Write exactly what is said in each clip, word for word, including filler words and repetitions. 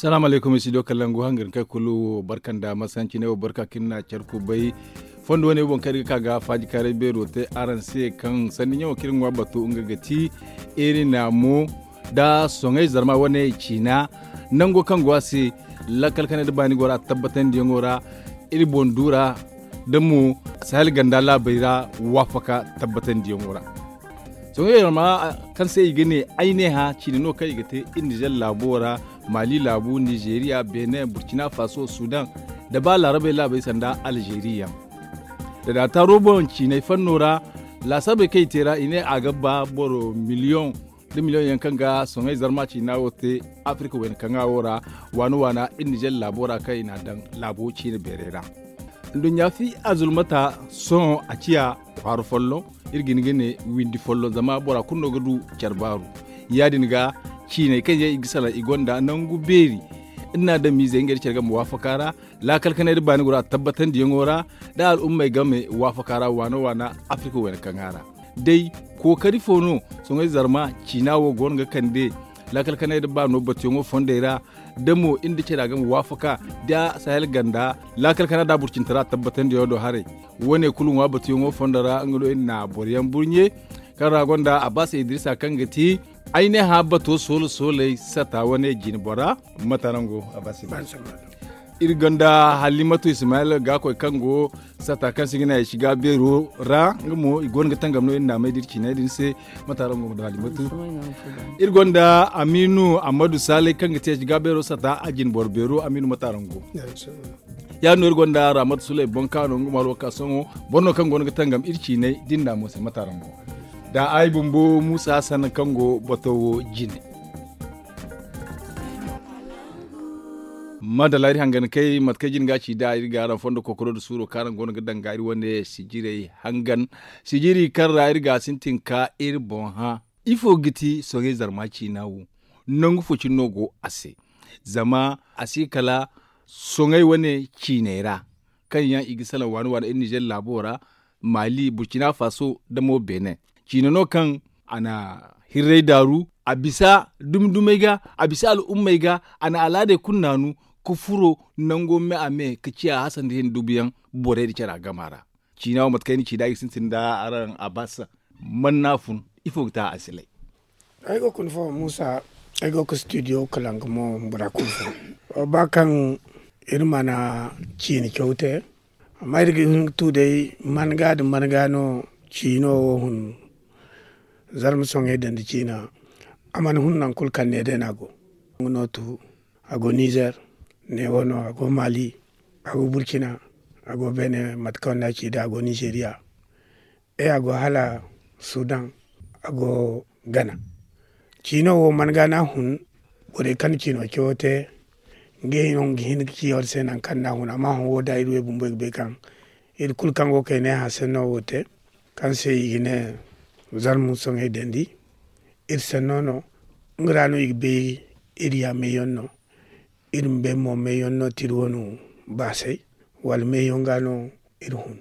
Salaamu alaykum, studio kalangu hangar kay kulu barka nda masanci ne wo barka kaŋ iri na care kubay. Fondo wane boŋ kaŋ iri ga ka ga faaji kaaray beero te araŋ se kaŋ sanni ɲaŋo kaŋ iri ŋwa batu nga ga ti iri naamo nda soŋay zarma wane ciina nango kaŋ go a se. Lakkal kanay nda baani go ra tabbatandiyaŋo ra iri boŋ du ra da mo sahel ganda laabey ra waafaka tabbatandiyaŋo ra. Soŋay zarma kaŋ se i ga ne ay ne hã ciine no kaŋ i ga te iri nizer laabo ra, maali laabu, nizeriya, benin, burkina faso, sudan, da ba laarabey laabey sanda alzeri yaŋ. Da da taaro boŋ ciinay fanno ra laasaabey kaŋ i te ra i ne a ga ba boro miliyoŋ da miliyoŋ yaŋ kaŋ ga soŋay zarma ciina wo te afirika wayna kaŋa wo ra, waana waana iri nizer laabo ra kaŋ i n'a daŋ laabo ciine beeray ra. Nduɲɲa fi azulmata sohõ a ciya kwaara folloŋ. Iri ga hin ga ne windi folloŋ zama bora kulu no ga du care baaru. Ya- din ga ciinay kaŋ yaŋ i ga salaŋ i gonda nangu beeri. Iri n'a daŋ miizey ngey nda care game waafaka ra. Laakal kanay nda baani gora tabbatandiyaŋo ra nda al'ummey game waafaka ra waana waana afirika wayna kaŋa ra. Day kookari fo no soŋay zarma ciina wo go no ga kande laakal kanay nda baano batuyaŋo fondey ra da mo iri nda care a game waafaka da sahel ganda laakal kanay nda burcintara tabbatandiyaŋo do haray. Wo- ne kulu ŋwa batuyaŋo fondo ra nga no iri na boro yaŋ burɲe kaŋ ra gonda a ba se idirisa kaŋ ga ti ay ne hã bato soolo sooley sata wane jine bora. Mate araŋ go a ba se idirisa iri gonda halimatu ismaila gaakoy kaŋ go sata kaŋ se i ga ne ay si ga beero ra nga mo i go no ga tangam no iri naamey da iri ciiney din se. Mate araŋ go da halimatu iri gonda aminu ammadu saalay kaŋ ga te ay si ga beero sata a jine boro beero aminu mate araŋ go. Ya- din no iri gonda ramatu sulay boŋ kaano nga mo alwaka sohõ boro no kaŋ go no ga tangam iri ciiney da iri naamo se mate araŋ go. Da ay bumbo muusa hassan kaŋ go bato wo jine. Madalla iri hangan kay mate kaŋ jine ga ci da iri ga araŋ fondo kookaro nda suuro kaŋ araŋ go no ga danga iri wane sijirey hangan sijiri kaŋ ra iri ga a sintin ka iri boŋ hã. Ifo ga ti soŋay zarma ciina wo? Nangu fo cine no go a se zama a si kala soŋay wane ciiney ra kaŋ yaŋ i ga salaŋ waani waani iri nizer laabo ra, maali burkina faso nda mo benin. Ciine no kaŋ a na hirray daaru a bisa dumi dumey ga, a bisa al'ummey ga, a na alaadey kulu naanu ka furo nango me a me ka ciya hassan da hinne dubu yaŋ borey nda care a gama ra. Ciina wo mate kaŋ ay na ci nd'a i ga sintin nda araŋ a ba se. Man no a fun? Ifo ga te a asilay? Ay go ga ni fo muusa. Ay go ga studio kalangu mo bora kulu fo. Ba kaŋ iri mana ciine caw te. Amma iri ga hin ga tu day man ga nda man ga no ciino wo hun. Zarma soŋay dandi ciina a mana hun nangu kulu kaŋ ne day no a go. Nga no tu a go nizer, neewo no a go mali, a go burkina, a go benin mate kaŋ no a ci day a go nizeriya. E a go hala sudan, a go gana. Ciino wo man ga no a hun. Borey kaŋ na ciino cawo te ngey no ga hin ga ci war se nangu kaŋ no a hun amma hõ wo da iri wey bumbo iri ga bay kaŋ iri kulu kaŋ go ga kay ne hã senno wo te kaŋ se i ga ne zarma soŋay dandi. Iri senno no nga ra no i ga bay iri ya meeyaŋ no. Iri ma bay mo meeyaŋ no te iri wane baasay wala meeyaŋ ga no iri hun.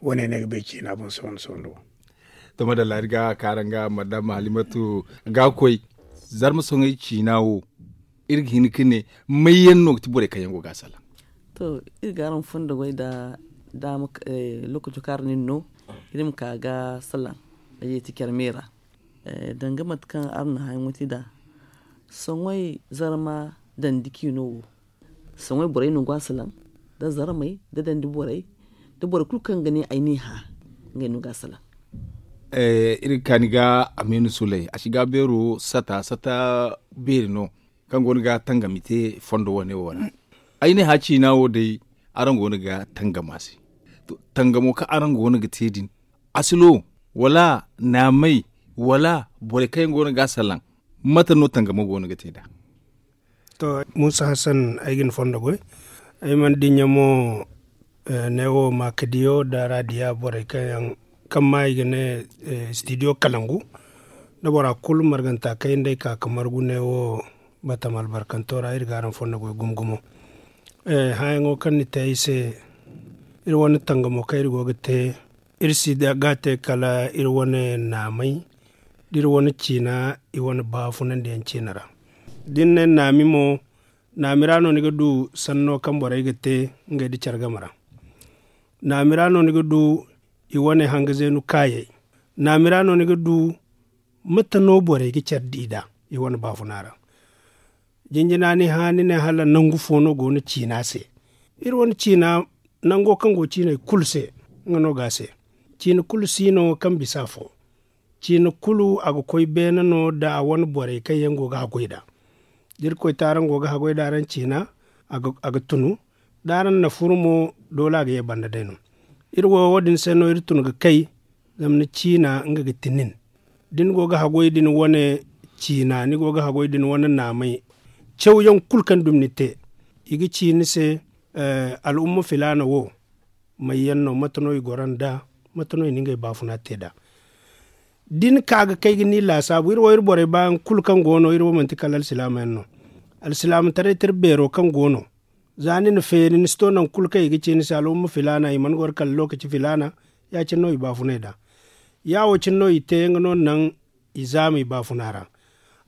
Wo- ne no ay ga bay ciina boŋ sohõ sohõ wo. To madalla iri ga ka araŋ ga madama halimatu ga koy. Zarma soŋay ciina wo iri ga hin ga ne may yaŋ no ga ti borey kaŋ yaŋ go ga a salaŋ? To iri ga araŋ fondo goy nda daama lookaco kaŋ araŋ na iri no iri ma ka ga salaŋ. Ay ye ti care me ra danga mate kaŋ araŋ na hãyaŋo te nd'a. Soŋay zarma dandi ciino wo soŋay borey no go a salaŋ, nda zarmey nda dandi borey nda borey kulu kaŋ ga ne ay n'i hã. Ngey no go a salaŋ. Iri ga kaani ga amiinu suley a si ga beero sata sata beeri no kaŋ go no ga tangam i te fondo wane wo ra. Ay ne hã ciina wo day araŋ go no ga tangam a se. Tangamo kaŋ araŋ go no ga te din asilo wala naamay wala borey kaŋ yaŋ go no ga a salaŋ? Mate no tangamo go no ga te nd'a? To muusa hassan ay ga ni fondo goy. Ay mana dinya mo neewo maakadiyo nda raadiya borey kaŋ yaŋ kaŋ ma i ga ne studio kalangu nda bora kulu marganta kaŋ yaŋ day ka ga margu neewo. Batama albarkanto ra iri ga araŋ fondo goy gumo gumo. Hãyaŋo kaŋ ni te ay se iri wane tangamo kaŋ iri go ga te iri si ga a te kala iri wane naamay da iri wane ciina i wane baafunandiyaŋ ciina ra. Da ni ne naami mo Naami ra no ni ga du sanno kaŋ borey ga te ngey nda care game ra. Naami ra no ni ga du i wane hanga zeenu kaayey. Naami ra no ni ga du mate no borey ga care di nd'a i wane baafuna ra. Jinjina ni hã ni ne hala nangu fo no go no ciina se. Iri wane ciina nango kaŋ go ciiney kulu se, nga no ga a se. Ciina kulu si no kaŋ bisa afo. Ciina kulu a ga koy beene no nda a wane borey kaŋ yaŋ go ga haggoy nd'a. Da iri koy taaraŋ go ga haggoy nd'a araŋ ciina, a ga tunu. Da araŋ na furu mo, doole a ga ye banda day no. Iri wo wo- din se no iri tun ga kay. Zama ni ciina nga ga ti nin. Da ni go ga haggoy da ni wane ciina ni go ga haggoy da ni wane naamay, cawyaŋ kulu kaŋ dumi ni te, i ga ci ni se, al'umma filaana wo, may yaŋ no mate no i goro nd'a? Mate no i na ngey baafuna te nd'a? Da ni ka ga kay ga ni laasaabu iri wo iri borey baayaŋ kulu kaŋ go no iri wo manti kala alsilaama yaŋ no. Alsilaamataray tira beero kaŋ go no, za ni na feeri ni si to nangu kulu kaŋ i ga ci ni se al'umma filaana i mana goro kala lookaci filaana. Ya- cine no i baafunay nd'a. Ya- wo cine no i te nga no naŋ i zaama i baafuna ra.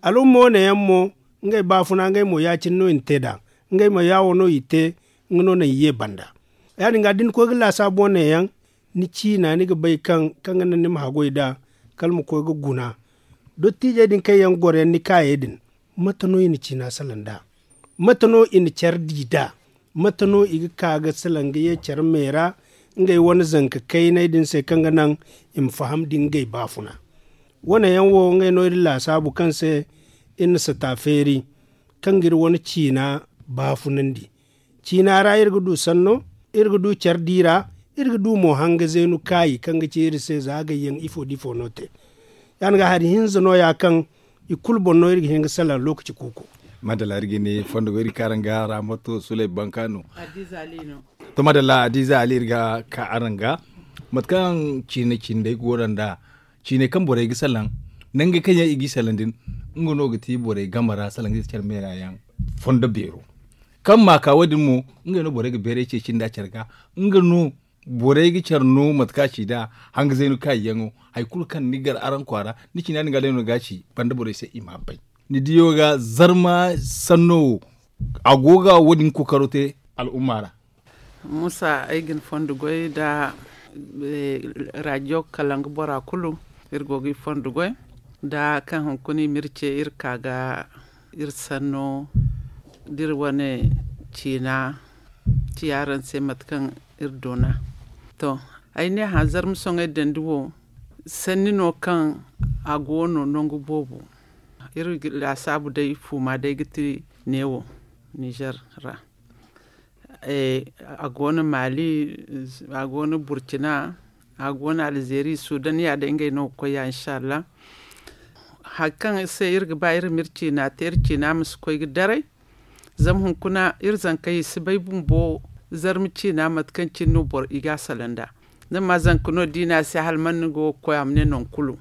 Al'umma wane yaŋ mo, ngey baafuna ngey mo ya- cine no i na te nd'a. Ngey mo ya- wo no i te, nga no naŋ i ye banda. Ya- din ga da ni koy ga laasaabu wane yaŋ, ni ciina ni ga bay kaŋ kaŋ ga naŋ ni ma haggoy nd'a, kala ma koy ga guna. Dottiijey din kaŋ yaŋ goro yaŋ ni kaayey din, mate no i na ciina salaŋ nd'a? Mate no i na care di nd'a? Mate no i ga ka ga salaŋ ga ye care me ra? Ngey wane zanka kayney din se kaŋ ga naŋ i ma faham da ngey baafuna. Wane yaŋ wo ngey no iri laasaabu kaŋ se iri na sata feeri, kaŋ ga iri wane ciina baafunandi. Ciina ra iri ga du sanno, iri ga du care di ra, iri ga du mo hanga zeenu kaayi kaŋ ga ci iri se za gayyaŋ ifo da ifo no te. Ya- din ga hari hinza no- ya kaŋ i kulu boŋ no iri ga hin ga salaŋ lookaci kuuku. Madalla iri ga ne fondo go iri kaara nga ra mato sulay banka no. To madalla adiiza ali iri ga ka araŋ ga, mate kaŋ ciine cindey go no nd'a, ciiney kaŋ borey ga salaŋ, nangey kaŋ yaŋ i g'i salaŋ din, nga no ga ti borey game ra salaŋ ga care me ra yaŋ. Fondo beero kaŋ ma ka wo- din mo, ngey no borey ga beeray ceeci nd'a care ga. Nga no borey ga care no mate kaŋ a ci nd'a, hanga zaynu kaayi yaŋo, hari kulu kaŋ ni gar araŋ kwaara, ni ciina din ga day no ga a ci banda borey se i m'a bay. Ni diyo ga zarma sanno wo, a go ga wo- din kookaro te al'umma ra. Musa ay ga ni fondo goy nda rajo kala nga bora kulu, iri go ga i fondo goy nda kaŋ hunkuna i ma iri ce iri ka ga iri sanno da iri wane ciina ci araŋ se mate kaŋ iri doona. To, ay ne hã zarma soŋay dandi wo, sanni no kaŋ a go no nangu boobo. Iri laasaabu day fuuma day ga ti neewo nizer ra. A go no maali, a go no burcina, a go no alzeeri sudan ya day ngey no ga koy ya inshallah. Hari kaŋ se iri ga ba iri ma iri ciina te iri ciina ma si koy ga daray. Zama hunkuna iri zankey i si bay bumbo zarma ciina mate kaŋ cine no boro i ga a salaŋ nd'a. Zama zanka no da i ne a se hala man ni go ga koy a ma ne nangu kulu,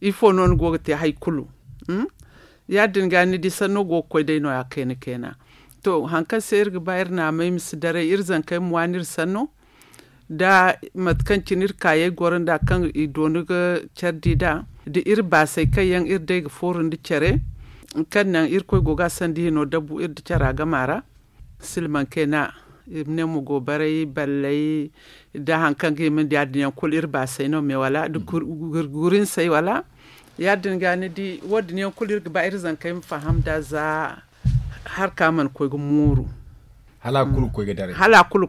ifo no ni go ga te hari kulu? Ya- din ga ni di sanno go ga koy day no- ya kayna kayna. To hari kaŋ se iri ga ba iri naamey ma si daray iri zankey ma waani iri sanno, da mate kaŋ cine iri kaayey goro nd'a kaŋ i dooni ga care di nd'a, da iri baasey kaŋ yaŋ iri day ga fooru nda care, kaŋ naŋ irkoy go ga a sanda hino dabu iri nda cara gama ra. Silmaŋ kayna, i ma ne ma go baray balley nda hari kaŋ ga hima nda ya- din yaŋ kulu iri baasey no me wala nda gurinsey wala? Ya- din ga ni di wo- din yaŋ kulu iri ga ba iri zankey ma faham nd'a za hari kaŋ a mana koy ga mooru. Hala a kulu ga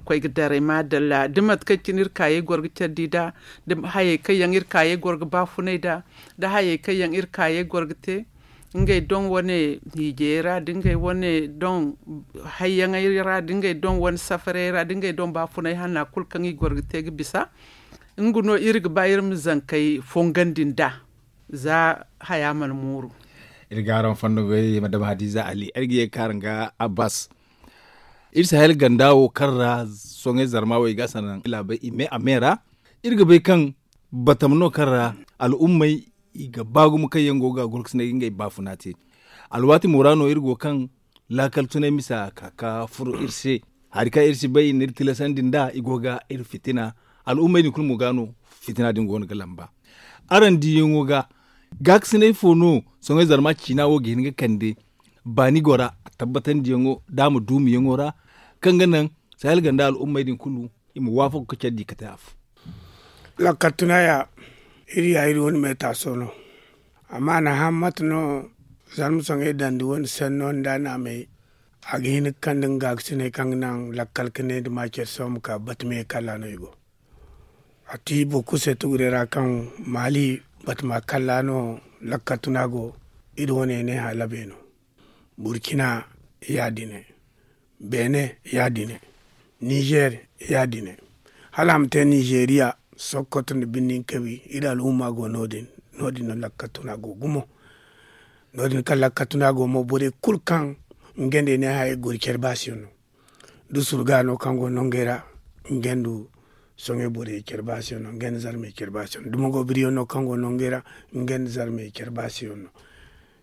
koy ga daray maadalla da mate kaŋ cine iri kaayey goro ga care di nd'a, da hayey kaŋ yaŋ iri kaayey goro ga baafunay nd'a, da hayey kaŋ yaŋ iri kaayey goro ga te ngey doŋ wane hiijey ra da ngey wane doŋ hayyaŋey ra da ngey doŋ wane safarey ra da ngey doŋ baafunay hanna kulu kaŋ i goro ga te ga bisa. Nga no iri ga ba iri ma zankey fongandi nd'a za haya mana mooru. Iri ga araŋ fondo goy madama hadiza ali ay ga ye ga ka araŋ ga abbas. Iri si hayal ganda wo kaŋ ra soŋay zarma wo i ga a sanaŋ i laabay i me a me ra. Iri ga bay kaŋ batam no kaŋ ra al'ummey i ga ba gumo kaŋ yaŋ go ga gurkusunay ga ngey baafuna te. Alwaati mo ra no iri go kaŋ laakal tunay misa ka ka furo iri se. Hari kaŋ iri si bay n'iri tilasandi nd'a i go ga iri fitina. Al'ummey din kulu mo ga no fitina din go no ga lamba. Araŋ diyaŋo ga gaakasinay fo no soŋay zarma ciina wo ga hin ga kande? baani go ra, a tabbatandiyaŋo da a ma duumiyaŋo ra, kaŋ ga naŋ sahel ganda al'ummey din kulu i ma waafaku ka care di ka te afo. Lakkal tunaya iri ya iri wane meetaaso no. Amma a na hã mate no zarma soŋey dandi wane senno nda a naamey a ga hin ga kande nga gaakasiney kaŋ ga naŋ lakkal ka ne nda maacer se wo ma ka batume kalla no i go. A ti boro kulu se tugure ra kaŋ maali batama kalla no lakkal tuna go. Iri wane ne halabe no. Burkina ya- din ne. Beene ya- din ne. Nizer ya- din ne. Hala a ma te nizeriya sokoto nda birnin kabi iri al'umma go no- din. No- din no lakkal tuna go gumo. No- din kaŋ lakkal tuna go mo borey kulu kaŋ nga nd'ey ne hayey goro care baasiyaŋ no. Da surga no kaŋ go nongey ra nga nda soŋey borey care baasiyaŋ no nga nda zarmey care baasiyaŋ no da mago biriyaŋ no kaŋ go nongey ra nga nda zarmey care baasiyaŋ no.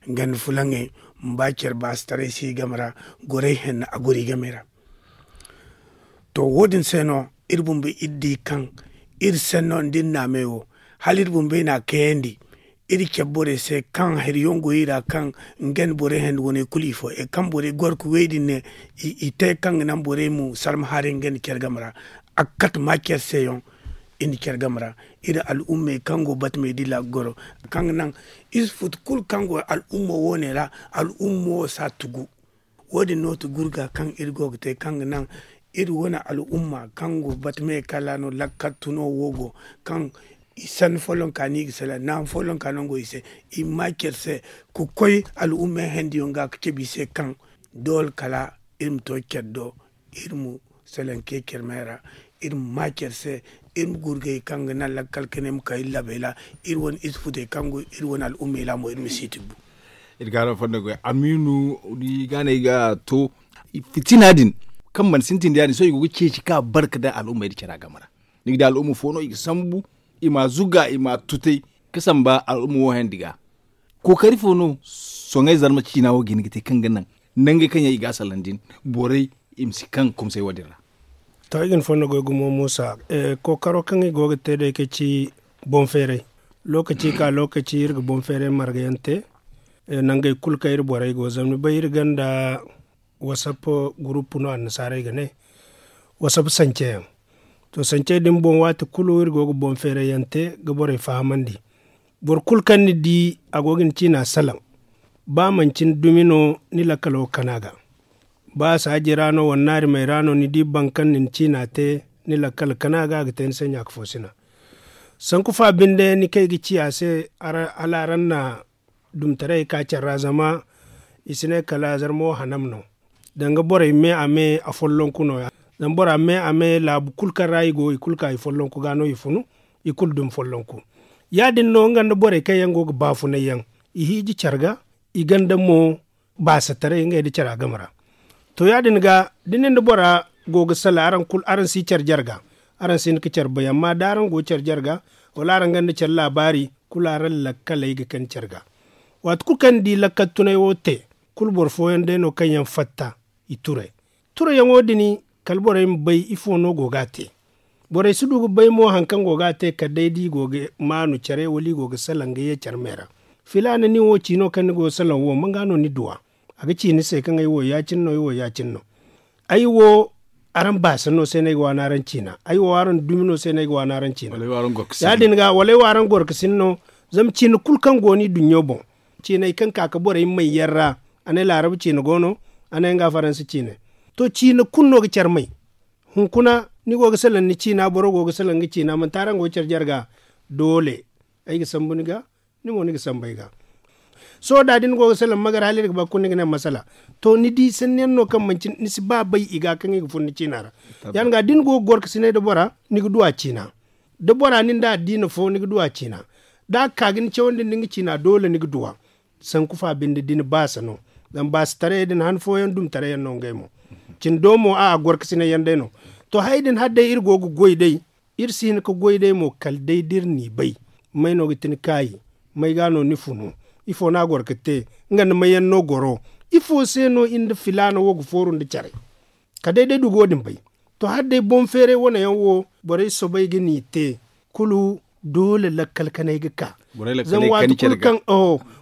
Nga nda fulaŋey ma ba care baasitaray si i game ra. Gorey henna a goro i game ra. To wo- din se no iri bumbey iri di kaŋ iri senno nda iri naamey wo hala iri bumbey na a kayandi. Iri care borey se kaŋ hari yaŋ go i ra kaŋ nga nda borey handi wane kulu i fo e kaŋ borey goro ka wey din ne. I te kaŋ ga naŋ borey ma sarma haray nga nda care game ra. A ga kate ma care se yaŋ iri nda care game ra. Iri al'ummey kaŋ go batamey dila ga goro kaŋ ga naŋ iri si futu kulu kaŋ go al'ummo wo- ne ra. Al'ummo wo si a tugu. Wo- din no ti gurga kaŋ iri go ga te kaŋ ga naŋ iri wane al'umma kaŋ go bata me kala no lakkal tuno wo go kaŋ i sanni follonka no i ga salaŋ naamu follonka nango i se. I ma ma care se ka koy al'umma yaŋ hendiyaŋ ga ka cabe i se kaŋ doole kala iri ma to care do. Iri ma salaŋ ke care me ra iri ma ma care se. Iri ma gurgay kaŋ ga naŋ lakkal ka ne ma ka iri labay ra. Iri wane ize futey kaŋ go iri wane al'ummey ra mo iri ma si tibbu. Iri ga araŋ fondo goy amiinu. Ni ga no ay ga to fitina din kaŋ mana sintin da ya- din sohõ i go ga ceeci ka barka da al'umma iri care a game ra. Ni ga di al'umma fo no i ga sambu i ma a zuga i ma a tutay ka samba al'umma wo handi ga. Kookari fo no soŋay zarma ciina wo ga hin ga te kaŋ ga naŋ nangey kaŋ yaŋ i ga a salaŋ din borey i ma si kaŋ kumsay wo- din ra. To ay ga ni fondo goy gumo muusa. Kookaro kaŋ i go ga te day ka ci boŋ feeray lookaci ka lookaci iri ga boŋ feeray marga yaŋ te. Nangey kulu kaŋ iri borey go zama ni bay iri gonda wasap gurupu no annasaarey ga ne. Wasap sance yaŋ to sancey din boŋ waati kulu iri go ga boŋ feeray yaŋ te ga borey fahamandi. Boro kulu kaŋ ni di a go ga ni ciina salaŋ ba manci ni dumi no ni lakkalo ga kana ga. Ba saaji ra no wala naarimey ra no ni di boro kaŋ na ni ciina te ni lakkal kana ga a ga te ni se ɲaaka fo sina. Sanku fa binde ni kay ga ci a se hala araŋ na dumtaray ka care ra zama i si ne kala zarmo hanam no. Danga borey me a me a follonku no- ya zama bora me a me laabu kulu kaŋ ra i go i kulu ka i follonku ga no i funu. I kulu dumi follonku ya- din no nga nda borey kaŋ yaŋ go ga baafunay yaŋ i hiiji care ga i gonda mo baasataray ngey nda cara game ra. To ya- din ga da ni nda bora go ga salaŋ araŋ si care jarga. Araŋ si hin ga care bay amma da araŋ go care jarga wala araŋ gonda care laabaari kulu araŋ lakkaley ga kani care ga. Waati kulu kaŋ ni di lakkal tunay wo te kulu boro fooyaŋ day no kaŋ yaŋ fatta i turay. Turayaŋo din kala borey ma bay ifo no go ga a te. Borey si du ga bay mo hari kaŋ go ga a te kala day da i go ga maanu care wala i go ga salaŋ ga ye care me ra. Filaana nin wo ciino kaŋ ni go ga salaŋ wo manga no ni duw'a? A ga ci ni se kaŋ ay wo ya- cine no ay wo ya- cine no. Ay wo araŋ baasa no se no ay ga waani araŋ ciina ay wo araŋ dumi no se no ay ga waani araŋ ciina. Ya- din ga wala ay wo araŋ gorkasin no. Zama ciina kulu kaŋ go no i duɲɲo boŋ ciiney kaŋ ka ga borey may yaŋ ra. A ne laarab ciina go no a ne nga faransa ciina. To ciina kulu no ga care may. Hunkuna ni go ga salaŋ ni ciina boro go ga salaŋ nga ciina manti araŋ go ga care jarga. Doole ay ga sambu ni ga. Ni mo ni ga sambu ay ga. Sohõ da da ni go ga salaŋ magar hala iri ga ba kulu ni ga ne masala. To ni di sanni yaŋ no kaŋ manci ni si ba bay i ga kaŋ i ga fun ni ciina ra. Ya- din ga da ni go ga gorkasinay nda bora ni ga du a ciina. Da bora nin da addiina fo ni ga du a ciina. Da a ga ka ga ni cawandi nda nga ciina doole ni ga du a. Sanku fa binde da ni baasa no. Zama baasataray din han fooyaŋ dumtaray yaŋ no ngey mo. Cindo mo a a gorkasinay yaŋ day no. To hayey din hala day iri go ga goy day. Iri si hin ga goy day mo kala day da iri n'i bay. May no ga ti ni kaayi? May ga no ni funu? Ifo no a goro ga te? Nga nda may yaŋ no goro? Ifo se no iri nda filaana wo ga fooru nda care? Kala day da ay du ga wo- din bay. To hala day boŋ feeray wane yaŋ wo borey soobay ga n'i te. Kulu doole lakkal kanay ga ka. Zama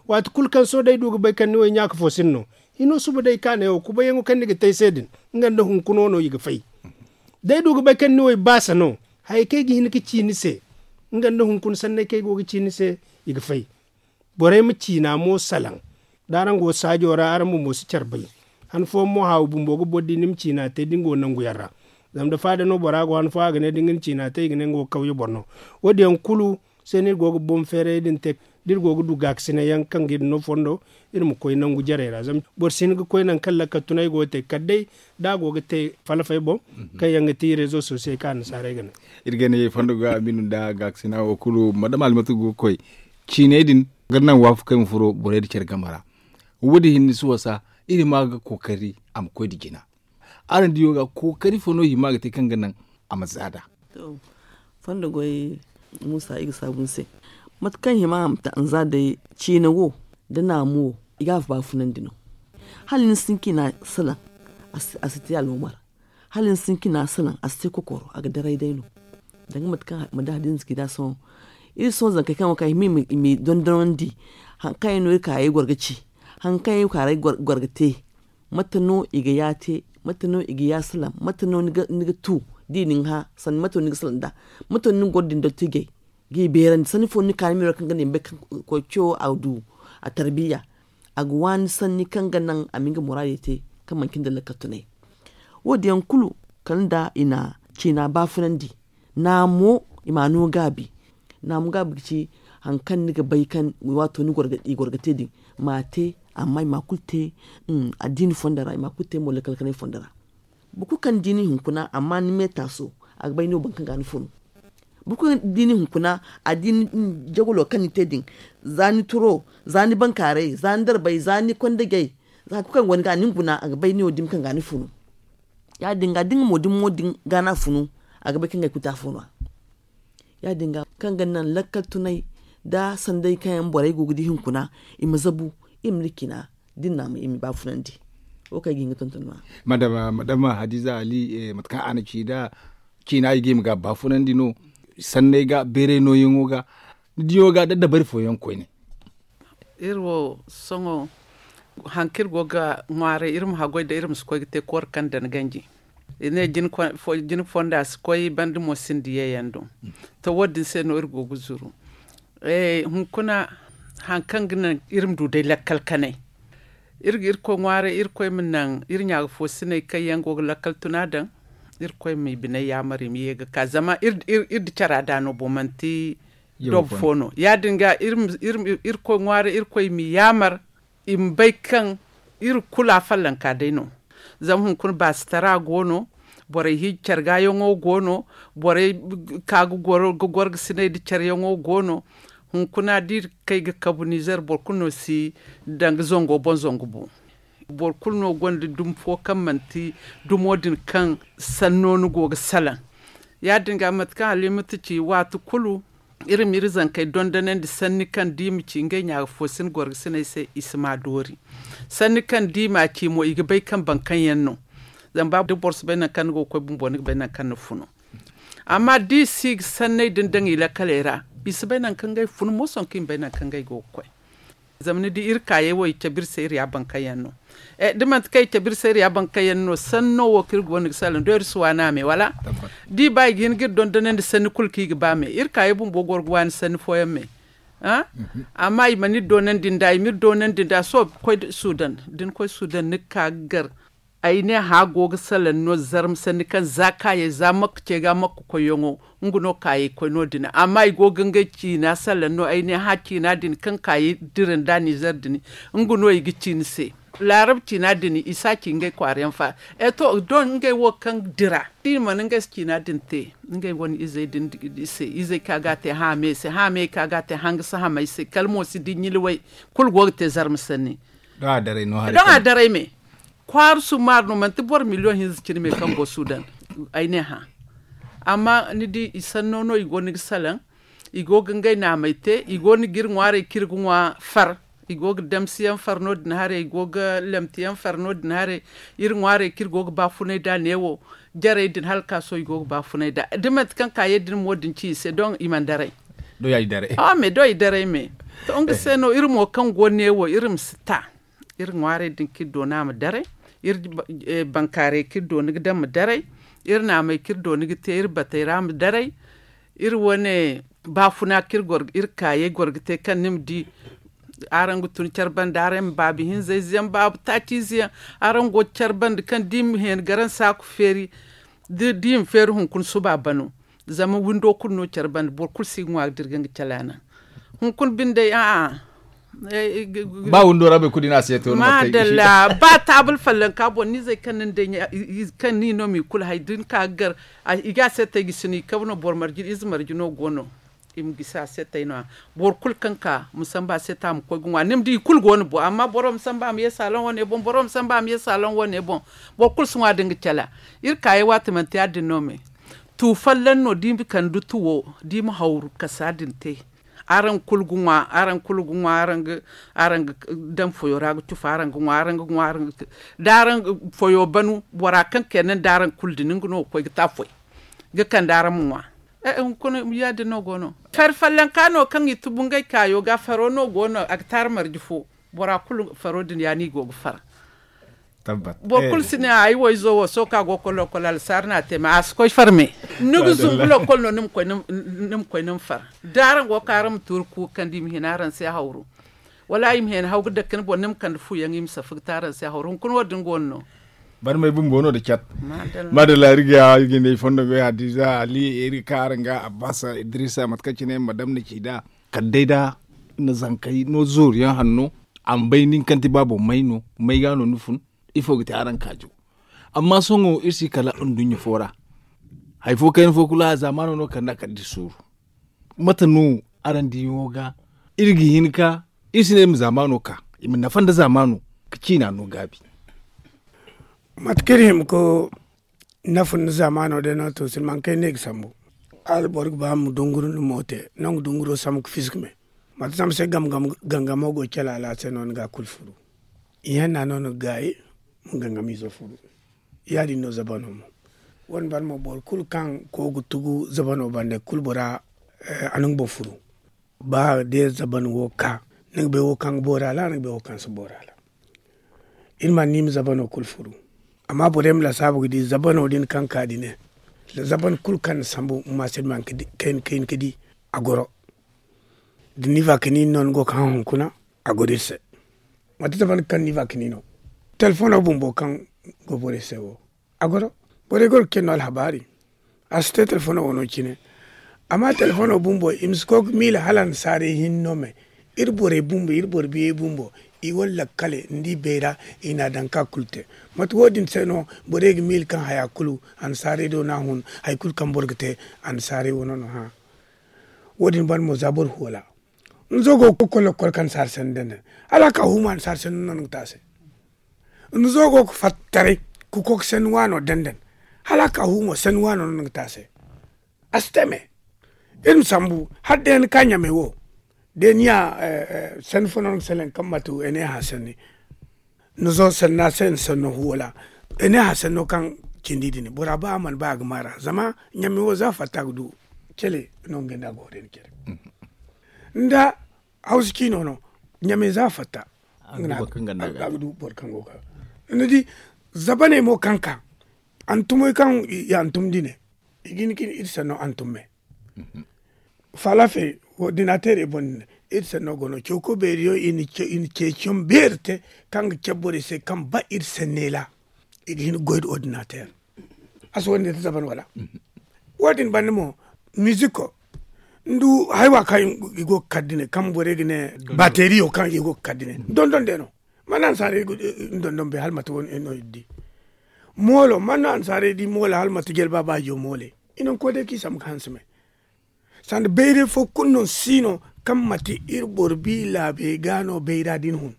waati kulu kaŋ sohõ da ay du ga bay kaŋ ni wo ay ɲaaka fo sinda no. Hino suba day ka ne wo kubayaŋo kaŋ ni ga te ay se din, nga nda hunkuna no i ga fay. Da ay du ga bay kaŋ ni wo ay baasa no, hayey kaŋ ay ga hin ga ci ni se, nga nda hunkuna sanney kaŋ ay go ga ci ni se, i ga fay. Borey ma ciina mo salaŋ. Da araŋ go saajo ra araŋ bumbo si care bay. Han fooyaŋ mo haawu bumbo ga boro di ni ma ciina te da ni go nangu yaŋ ra. Zama da faada no bora go han fooyaŋ a ga ne da nga na ciina te i ga ne nga wo kawye boro no. Wo- din yaŋ kulu se no iri go ga boŋ feeray din te. Da iri go ga du gaakasinay yaŋ kaŋ ga iri no fondo, iri ma koy nangu jarey ra zama boro si hin ga koy nangu kaŋ lakkal tunay go ga te kala day da a go ga te falfay boŋ, kaŋ yaŋ ga ti rezo sosiyey kaŋ annasaarey ga ne. Iri ga ne fondo ga a ma i no nda gaakasina wo kulu madama almatu go ga koy ciiney din ga naŋ waafakey ma furo borey nda care game ra. Wo- din hinne si wasa iri ma ga kookari a ma koy nda jina. Araŋ diyo ga kookari fo no hima ga te kaŋ ga naŋ a ma za nd'a? Fondo goy, muusa i ga saabu ni se. Mate kaŋ hima a ma te a ma za day, ciine wo nda naamu wo, i ga a baafunandi no. Hala ni si hin ka i na salaŋ, a si te alwamar. Hala ni si hin ka i na salaŋ, a si te kokoro, a ga daray day no. Danga mate kaŋ ma da hadiza ci nd'a sohõ. Iri sohõ zankey kaŋ yaŋ wo kaŋ i ma i dondonandi, hari kaŋ yaŋ no iri kaayey goro ga ci, hari kaŋ yaŋ iri kaayey goro ga te. Mate no i ga ya te? Mate no i ga ya salaŋ? Mate no ni ga tu da i na ni hã? Sanni mate no ni ga salaŋ nd'a? Mate no ni ga goro da ni dottijey ga i beerandi sanni fo no ni ka ni meero kaŋ ga naŋ i ma bay kaŋ koy ciyo a du a tarbiya? A ga waani sanni kaŋ ga naŋ a ma nga muraadey te kaŋ manci nda lakkal tunay. Wo- din yaŋ kulu kala nda i na ciina baafunandi. Naamo i ma a no gaabi. Naamo gaabi ga ci hari kaŋ ni ga bay kaŋ waato i goro ga te din, ma a te. Amma i ma a kulu te addiini fondo ra, i ma a kulu te mo lakkal kanay fondo ra. Boro kulu kaŋ ni di ni hunkuna amma ni me taaso, a ga bay ni wo boro kaŋ ga ni funu. Boro kulu kaŋ ni di ni hunkuna, a di ni jagalo kaŋ ni te din, za ni turo, za ni bankaaray, za ni darbay, za ni kondajey, za hari kulu kaŋ go ni ga ni guna, a ga bay ni wo dumi kaŋ ga ni funu. Ya- din ga da nga mo da ni mo din ga no a funu, a ga bay kaŋ ga ay kulu te afo no- ya. Ya- din ga kaŋ ga naŋ lakkal tunay nda sanday kaŋ yaŋ borey go ga di hunkuna, i ma zabu, i ma ni ciina da ni na ma i ma i baafunandi. Wo kaŋ ay ga hin ga tonton no- ya. Madama hadiza ali, mate kaŋ a na ci nd'a, ciina i ga i ma ga baafunandi no, sanney ga beeray nooyaŋo ga, ni diyo ga da dabari fooyaŋ koyne. Iri wo sohõ hari kaŋ iri go ga ŋwaaray iri ma haggoy da iri ma si koy ga te kooro kaŋ daŋ ganji. I ne jine fonda si koy banda mo sinda yeeyaŋ do. To wo- din se no iri go ga zuru. Hunkuna hari kaŋ ga naŋ iri ma du day lakkal kanay, iri ga irkoy ŋwaaray irkoy ma naŋ iri ɲaagafoosiney kaŋ yaŋ go ga lakkal tuna daŋ, irkoy ma i biney yaamar i ma ye ga ka zama iri nda cara da no bo manti dob fo no. Ya- din ga irkoy ŋwaaray irkoy i ma i yaamar i ma bay kaŋ iri kulu afollanka day no. Zama hunkuna baasitara go no, borey hiiji care gaayaŋo go no, borey ka ga goro ga sinay nda careyaŋo go no. Hunkuna da iri kay ga kabu nizer boro kulu no si danga zango boŋ zangu bu. Boro kulu no gonda dumi fo kaŋ manti dumo din kaŋ sanno ni go ga salaŋ. Ya- din ga mate kaŋ halimatu ci waati kulu iri ma iri zankey dondonandi sanni kaŋ da i ma ci ngey ɲaagafoosin gorgasiney se i si ma doori. Sanni kaŋ da i ma ci mo i ga bay kaŋ baŋ kaŋ yaŋ no. Zama ba da boro si bay nangu kaŋ ni go ga koy bumbo ni ga bay nangu kaŋ ni funu. Amma da i si ga sanney din daŋ i lakkaley ra, i si bay nangu kaŋ ngey funu mo sohõ kaŋ i ma bay nangu kaŋ ngey go ga koy. Zama ni di iri kaayey wo i cabe iri se iri ya baŋ kaŋ yaŋ no. Da manti kaŋ i cabe iri se iri ya baŋ kaŋ yaŋ no sanno wo kaŋ iri go no ga salaŋ doori si waani a me wala? Da i ba i ga hin ga iri dondonandi sanni kulu kaŋ i ga ba me iri kaayey bumbo goro ga waani sanni fooyaŋ me. Amma i mana iri doonandi nd'a i ma iri doonandi nd'a sohõ koy sudan da ni koy sudan ni ga ka ga gar. Ay ne hã go ga salaŋ no zarma sanni kaŋ za kaayey za makka ce ga makka koyyaŋo. Nga no kaayey koy no- din amma i go ga ngey ciina salaŋ no ay ne hã ciina din kaŋ kaayey dira nda nizer din. Nga no i ga ci ni se laarab ciina din i si a ci ngey kwaara yaŋ fa. E to don ngey wo kaŋ dira da i mana ngey se ciina din te ngey wane izey din se izey kaŋ a ga a te hã me se hã me kaŋ a ga a te hanga si hamay se kala mo si di ɲilway. Kulu go ga te zarma sanni. Don a daray me kwaara summaari no manti boro miliyoŋ hinza cine me kaŋ go sudan. Ay ne hã amma ni di i sanno no i go ni ga salaŋ. I go ga ngey naamey te i go ni ga iri ŋwaarey kaŋ iri ga ŋwa far. I go ga damsiyaŋ far no- din haray i go ga lemtiyaŋ far no- din haray. Iri ŋwaarey kaŋ iri go ga baafunay nd'a neewo jarey din hala ka sohõ i go ga baafunay nd'a da manti kaŋ kaayey din mo din ci i se don i mana daray. Awa me doŋ i daray me. To nga se no iri mo kaŋ go neewo iri ma si ta. Iri ŋwaarey din kaŋ iri doona ma daray. Iri bankaarey kaŋ iri doona ga daŋ ma daray. Iri naamey kaŋ iri doona ga te iri batey ra ma daray. Iri wane baafuna kaŋ iri kaayey goro ga te kaŋ ni ma di. Araŋ ga tun care banda araŋ ma baabu hinzayze yaŋ baabu taaci ize yaŋ. Araŋ go care banda kaŋ da i ma heeni garaŋ saaku feeri. Da i ma feeri hunkuna suba bano. Zama windo kulu no care banda boro kulu si ga ŋwa ga dira ga nga calaana. Hunkuna bindey a'a. Ba windo ra boro kulu di no a seeto no madalla. Ba taabul fallanka boŋ ni zey kaŋ ni day kaŋ ni no ma i kulu hay da ni ka ga gar. I ga a seetey gisi no i kabe no boro marji ize marji no go no. I ma gisi a seetey no- ya. Boro kulu kaŋ ka ma samba a seeta ma koy ga ŋwa ni ma di i kulu go no bo amma boro ma samba a ma ye saaloŋ wane boŋ boro ma samba a ma ye saaloŋ wane boŋ. Boro kulu si ŋwa da nga cala. Iri kaayey waati manti ya- din no me. Tu folloŋ no da i ma kande tuwo da i ma hawru kasa din te. Araŋ kulu ga ŋwa araŋ kulu ga ŋwa araŋ ga daŋ foyo ra ga cufa araŋ ga ŋwa araŋ ga ŋwa araŋ ga. Da araŋ foyo banu bora kaŋ kayna nda araŋ kulu din nga no ga koy ga te a foy. Ga kande araŋ ma ŋwa. Hunkuna ya- din no go no. Fari follanka no kaŋ i tubu ngey kaayo ga faro no go no a ga te araŋ marje fo. Bora kulu faro din ya no i go ga far. Boro kulu si ne ay wo izo wo sohõ kaŋ a go ga koy lokkol alsaari no a te ma a si koy farme. Ni ga zumbu lokkol no ni ma koy ni ma far. Da araŋ go ga ka araŋ ma tuuri kuuka kaŋ da i ma hina araŋ se hawru. Wala i ma hina haw ga dake ni boŋ ni ma kande fuyaŋ i ma safa ga te araŋ se hawru hunkuna wo- din go no no. Barmey bumbo no nda cat. Maadalla iri ga ya iri ga ne i fondo ga ya da i za ali iri ga ka araŋ ga abbasa idrisa mate kaŋ cine madam na ci nd'a. Kala day da ni na zankey no zooru yaŋ hanno. A ma bay nin kaŋ ti baabo may no may ga no ni fun. Ifo ga te araŋ kaajo. Amma sohõ iri si kala nduɲɲa fo ra. Hari fo kayna fo kulu a zaamaano no kala nda a kala da iri sooru. Mate no araŋ diyaŋo ga iri ga hin ka iri si ne iri ma zaamaano ka i ma nafa nda zaamaano. Ka ciina no gaabi. Mate kaŋ iri hima ka nafa nda zaamaano day no to silmaŋ kay no i ga sambu. Hala boro ga ba ma dunguru nda moote nangu dunguro sambu ga fiska me. Mate zama se gangamo go calaala se no ni ga a kulu furu. Ihanna no ni ga gaayi ma gangamiizo furu. Ya- din no zabano mo. Wo- din banda mo boro kulu kaŋ koy ga tugu zabano banda kulu bora a na nga boŋ furu. Ba day zaban wo ka ni ga bay wo kaŋ ga boori a ra ni ga bay wo kaŋ si boori a ra. Iri mana ni ma zabano kulu furu. Amma borey ma lasaabu ga di zabano din kaŋ ka din ne zaban kulu kaŋ na sambu ma ma se ni ma kayna ka di a goro. Da ni vakini no ni go ga hã hunkuna a goro iri se. Mate zaban kaŋ ni vakini no telefono bumbo kaŋ go borey se wo a goro. Borey goro ga ce no alhabaari. A si te telefono wano cine. Amma telefono bumbo i ma si koy ga miila hala annasaarey hinne no me. Iri borey bumbo iri boro biyey bumbo i wane lakkale nda i bayra i na a daŋ ka kulu te. Mate wo- din se no borey ga miila kaŋ haya kulu annasaarey do no a hun. Hari kulu kaŋ boro ga te annasaarey wano no hã. Wo- din banda mo za boro hoola. Ni zo go ga koy lakkol kaŋ annasaara sanni daŋ daŋ hala a ka huuma annasaara sanni no ni ga te a se. Ni zo go ga fatta taray ka koy ga sanni waano daŋ daŋ hala a ka huuma sanni waano no ni ga te a se. A si te me. Iri ma sambu hala day ni ka ɲamey wo day ni ya sanni fo no ni ga salaŋ kaŋ ma tu ene hã sanni. Ni zo sanna se ni sanno huwo ra. Ene hã sanno kaŋ cindi din bora ba a mana ba a ga maara zama ɲamey wo za fatta ga du. Cele no nga nda a go day ni cere. Nda hawsa ciino no ɲamey za fatta. Nga no a ga du boro kaŋ go ga ni di zabaney mo kaŋ ka antumey kaŋ i antum dine i ga hin ka iri sanno antum me. Falafe ordinateerey boŋ din iri sanno go no cawko beeriyo i na ceeciyaŋ beeri te kaŋ ga cabe borey se kaŋ ba iri sanney ra. I ga hin ga goy nda ordinateer a si wo- din te zaban wala? Wo- din banda mo miziko nda haywa kaŋ i go ga kar dine kaŋ borey ga ne bateriyo kaŋ i go ga kar dine dondon day no. Mana annasaarey ga dondon bay hala mate wo- din no iri di moolo mana annasaarey di moolo hala mate jelba baajo mooley. I na ni koy day kaŋ i sambu ga hanse me. Sanda bayray fo kulu no si no kaŋ mate iri boro bi laabey ga no bayra din hun.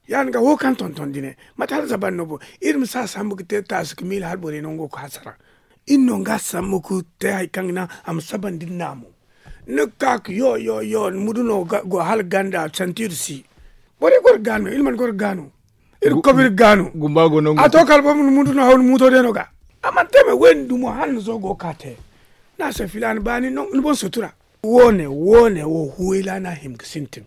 Ya- din ga wo kaŋ tonton dine mate hala zaban no bo iri ma si a sambu ga te taasi ga miila hala borey no nga go ga hasara. Iri no nga sambu ga te hari kaŋ ga naŋ a ma sabandi iri naamo. Ni ga ka ga yo yo yo mudu no go hala ganda santiiri si. Borey goro ga no iri mana goro ga no. Iri ga kobo iri ga no. A to kala boro ma ni mudu no haw ni muuto day no ga. A mana te me wo- din dumo hala ni zo go ga ka te. Ni a se filaana baani no ni boŋ sutura. Wo- ne wo- ne wo huwayla no a hima ga sintin.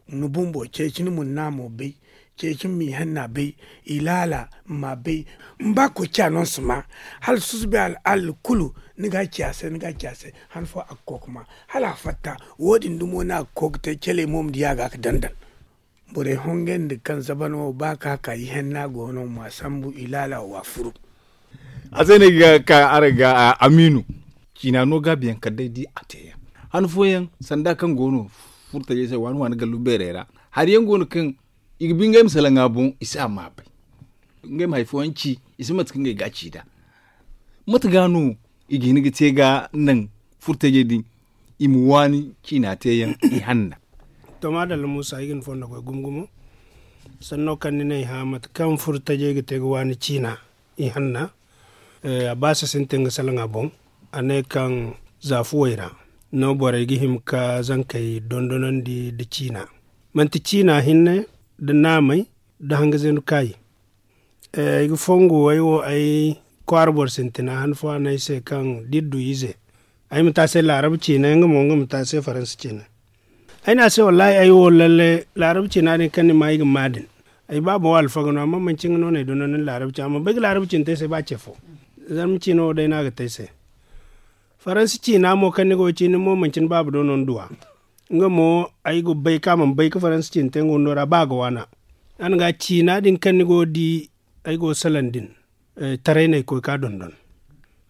Ni bumbo ceeci ni munna mo bay. ceeci ma i hanna bay, i laala ma bay. Mba koy ciya no si ma hala susubay al'aala kulu. Ni ga a ciya se ni ga a ciya se han fo a ga koy ga ma hala a fatta. Wo- din dumo no a ga koy ga te caley mo ma di a ga ga dandal. Borey hongandi kaŋ zaban wo ba ka ka i hanna go no ma sambu i laala wa furu. A se no ay ga ka araŋ ga amiinu. Ciina no gaabiyaŋ kala day di a teeyaŋ han fooyaŋ sanda kaŋ go no furtajey se waani waani gallu beerey ra. Hari yaŋ go no kaŋ i ga bi ngey ma salaŋ a boŋ i si a ma bay. Ngey ma hari fooyaŋ ci i si mate kaŋ ngey ga a ci nd'a. Mate ga no i ga hin ga te ga naŋ furtajey din i ma waani ciina teeyaŋ i hanna. To maadalla muusa ay ga ni fondo koy gumo gumo. Sanno kaŋ ni n'ay hã mate kaŋ furtajey ga te ga waani ciina i hanna. A ba si sintin ga salaŋ a boŋ. A ne kaŋ za fuwey ra no borey ga hima ka zankey dondonandi nda ciina. Manti ciina hinne nda naamey nda hanga zeenu kaayi. Ay ga fongu ay wo ay kwaara boro sintina han fo a ne ay se kaŋ da iri du ize ay ma te a se laarab ciinay nga mo nga ma te a se faransa ciinay. Ay ne a se wallaahi ay wo lalle laarab ciina din kaŋ ni ma ay ga ma din. Ay baabo wo alfaga no amma manci nga no no ay dondon ni laarab ciina a mana bay ga laarab ciina te ay se ba ce fo. Zarma ciina wo day no a ga te ay se. Faransa ciina mo kaŋ ni go ga ci ni mo manci ni baaba do no ni du a. Nga mo ay ga bay kaŋ a mana bay ga faransa ciina te nga windo ra ba a ga waana. Yaŋ ga ciina din kaŋ ni go ga di ay go ga salaŋ din. Taray no ay koy ga a dondon.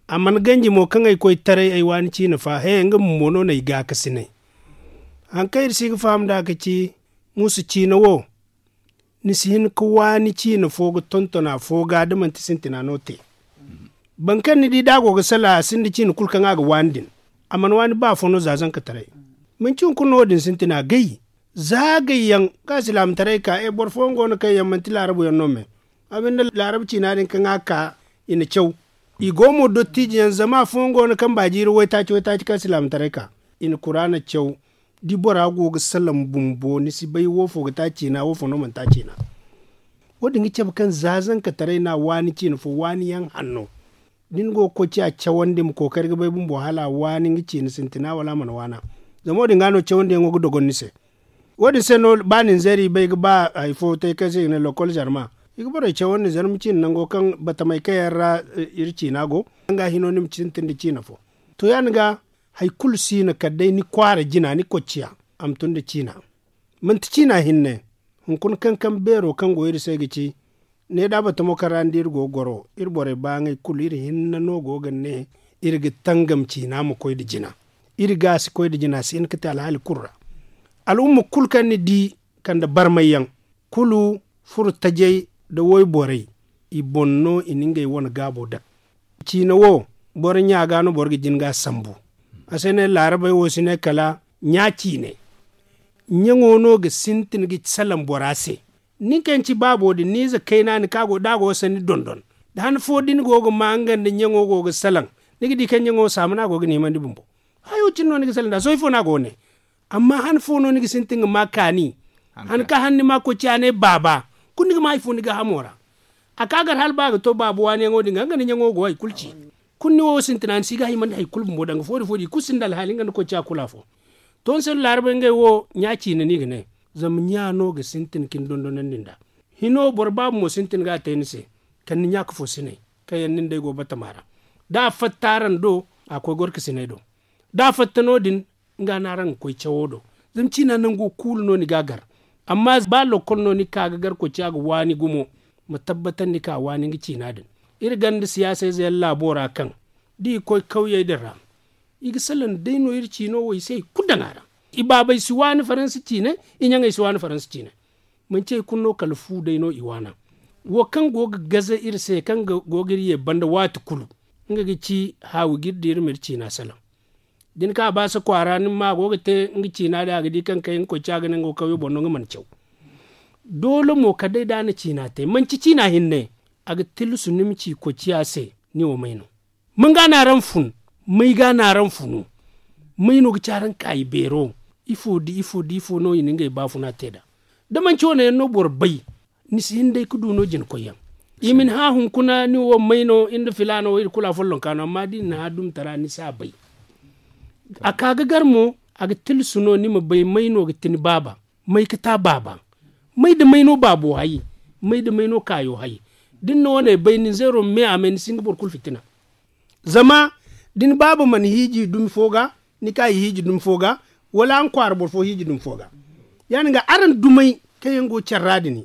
A mana ganji mo kaŋ ay koy taray ay waani ciina fa he nga bumbo no no ay gaakasinay. Haŋ kaŋ iri si ga faham nd'a ga ci muusu ciina wo. Ni si hin ga waani ciina fo ga tonton afo ga da manti sintina no te. Boro kaŋ ni di da a go ga salaŋ a sinda ciina kulu kaŋ a ga waani din. A mana waani ba afo no za zankataray. Manci hunkuna no wo- din sintina gay. Za gay yaŋ kaŋ a silaamataray ka e boro fooyaŋ go no kaŋ yaŋ manti laarabu yaŋ no me. A binde laarabu ciina din kaŋ a ka i na caw. I go mo dottijo yaŋ zama afooyaŋ go no kaŋ baajiiri waytaaci waytaaci kaŋ silaamataray ka i na kuraana caw. Da bora go ga salaŋ bumbo ni si bay wo- fo ga te a ciina wo- fo no mana te a ciina. Wo- din ga cabe kaŋ za zankataray no a waani ciina fo waani yaŋ hanno. Da ni go ga koy ciya cawandi ma kookari ga bay bumbo hala a waani nga ciina sintina wala a mana waana. Zama wo- din ga no cawandiyaŋo ga dogon ni se. Wo- din se no ba ninzeeri bay ga ba hari fo te kaŋ se i ga ne lokol zarma. I ga borey cawandi zarma ciina nango kaŋ batamey kaŋ yaŋ ra iri ciina go. Nga hino ni ma sintin da ciina fo. To ya- din ga hari kulu si no kala day ni kwaara jina ni kocciya a ma tun nda ciina. Manti ciina hinne. Hunkuna kaŋ kaŋ beero kaŋ go iri se ga ci. Ne da batamo kaŋ ra ni di iri go ga goro iri borey ba ngey kulu iri hinne no go ga ne iri ga tangam ciina ma koy nda jina. Iri ga a si koy nda jina si hin ga te alhaali kulu ra. Al'umma kulu kaŋ ni di kande barmay yaŋ kulu furo tajay nda wayborey. I boŋ no i na ngey wane gaabo daŋ. Ciina wo boro ɲa ga no boro ga jin ga a sambu. A se ne laarabey wo si ne kala ɲa ciine. Ɲaŋo no ga sintin ga salaŋ bora se. Nin kaŋ yaŋ ci baabo din ni ize kayna ni kaŋ a go da a go ga sanni dondon. Da han fo da ni go ga ma nga nda ɲaŋo go ga salaŋ ni ga di kaŋ ɲaŋo saama no a go ga ni himandi bumbo. Hayo cine no ni ga salaŋ nd'a sohõ ifo no a go ga ne. Amma han fo no ni ga sintin ga ma kaani. Han kaŋ han ni ma koy ciya ne baaba. Kulu ni ga ma hari fo ni gaahamo ra. A ka gar hala ba a ga to baaba waaniyaŋo din ga nga nda ɲaŋo go hari kulu ci. Kulu ni wo sintina ni si ga himandi hari kulu bumbo danga foodi foodi i kulu sinda alhaali nga nda koy ciya kulu afo. To ni se no laarabey ngey wo ɲa ciine no i ga ne. Zama ɲa no ga sintin ka ni dondonandi nd'a. Hino boro baaba mo sintin ga a te ni se. Kala ni ɲa ka fo sinay kaŋ yaŋ nin day go batama ra. Da a fatta araŋ do a koy gorkasinay do. Da a fatta no- din nga no araŋ ga koy cawo do. Zama ciina nango kuulu no ni ga a gar. Amma ba lokkol no ni ka ga gar koy ciya ga waani gumo. Ma tabbatandi ka waani nga ciina din. Iri ganda siyaasa ize yaŋ laabo ra kaŋ da i ga koy kawyey din ra. I ga salaŋ day no iri ciino wo i si hari kulu daŋ a ra. I baabey si waani faransa ciine. I ɲaŋey si waani faransa ciine. Manci hari kulu no kala fu day no i waana. Wo kaŋ go ga gaze iri se kaŋ go ga iri ye banda waati kulu. Nga ga ci haawi ga iri di iri ma iri ciina salaŋ. Da ni ka baasa kwaara ni ma a go ga te nga ciina din a ga di kaŋ kay nga koy ciya ga ne nga wo kawyo boŋ no nga mana caw. Doole mo kala day da a na ciina te manci ciina hinne. A ga tilasu ni ma ci koy ciya se ni wo may no. May ga no araŋ fun? May ga no araŋ funu? May no ga ci araŋ kaayi beero? Ifo da ifo da ifo no i na ngey baafuna te nd'a? Da manci wane yaŋ no boro bay. Ni si hin day ga du no jina koyyaŋ. I ma ni hã hunkuna ni wo may no iri nda filaana wo iri kulu afollonka no amma da i na ni hã dumtara ni si a bay. A ka ga gar mo a ga tilasu no ni ma bay may no ga ti ni baaba? May ga ti a baaba? May da may no baabo hay? May da may no kaayo hay? Da ni na wane bay ni zeero me a may ni si nga boro kulu fitina. Zama da ni baaba mana hiiji dumi fo ga, ni ka i hiiji dumi fo ga, wala araŋ kwaara boro fo hiiji dumi fo ga. Ya- din ga araŋ dumey kaŋ yaŋ go care ra din,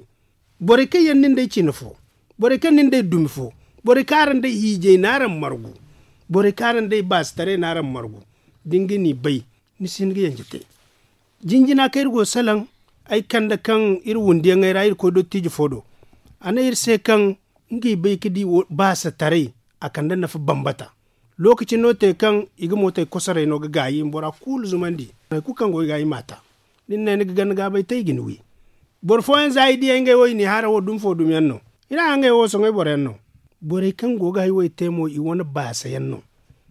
borey kaŋ yaŋ nin day cine fo, borey kaŋ nin day dumi fo, borey kaŋ araŋ day hiijay no araŋ margu, borey kaŋ araŋ day baasitaray no araŋ margu, da ni ga ni bay, ni si hin ga yanje te. Jinjina kaŋ iri go ga salaŋ, ay kande kaŋ iri wundiyaŋey ra iri koy dottijo fo do. A ne iri se kaŋ ngey bay ga di baasitaray, a kande nafa bambata. Lookaci no te kaŋ i ga mootey kosoray no ga gaayi i ma bora kulu zumandi. Hari kulu kaŋ go i ga i ma a ta. Da ni ne ni ga ganda gaabay te i ga ni wi. Boro fooyaŋ za i diya ngey wo i n'i hara wo dumi fo dumi yaŋ no. I n'a hangey wo soŋay boro yaŋ no. Borey kaŋ go ga hay wo i te mo i wane baasa yaŋ no.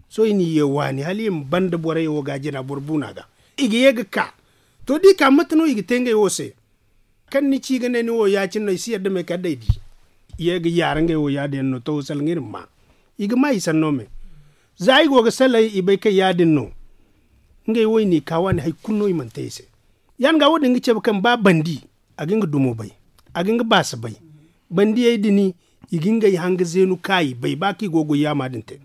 Sohõ i n'i ye waani hala i ma banda borey wo ga a jina boro buuna ga. I ga ye ga ka. To da i ka mate no i ga te ngey wo se? Kaŋ ni ci ga ne ni wo ya- cine no i si yadda me kala day di. I ye ga yaara ngey wo ya- din yaŋ no taho salaŋ iri ma ma. I ga ma i sanno me. Za i go ga salaŋ i bay kaŋ ya- din no. Ngey wo i n'i ka waani hari kulu no i mana te i se. Ya- din ga wo- din ga cabe kaŋ ba bandi a ga nga dumo bay, a ga nga baasa bay. Bandiyey din i ga ngey hanga zeenu kaayi bay ba kaŋ i go ga goy yaama din te.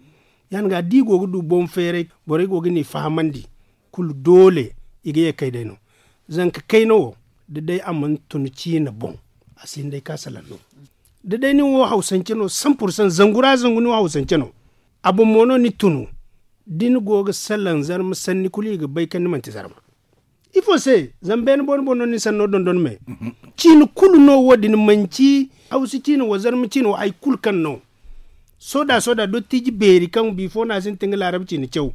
Ya- din ga da i go ga du boŋ feeray borey go ga n'i fahamandi. Kulu doole i ga ye kay day no. Zanka kayna wo da day a mana tun ciina boŋ, a si hin day ka salaŋ no. Da day ni wo hawsance no san pursan zangu ra zangu ni wo hawsance no. A boŋ mo no ni tunu. Da ni go ga salaŋ zarma sanni kulu i ga bay kaŋ ni manti zarma. Ifo se? Zama beene boŋ ni boŋ no ni sanno dondon me. Ciina kulu no wo- din manci hawsa ciina wo zarma ciina wo hari kulu kaŋ no. Soda soda dottiji beeri kaŋ bifo no a sintin ga laarab ciina caw.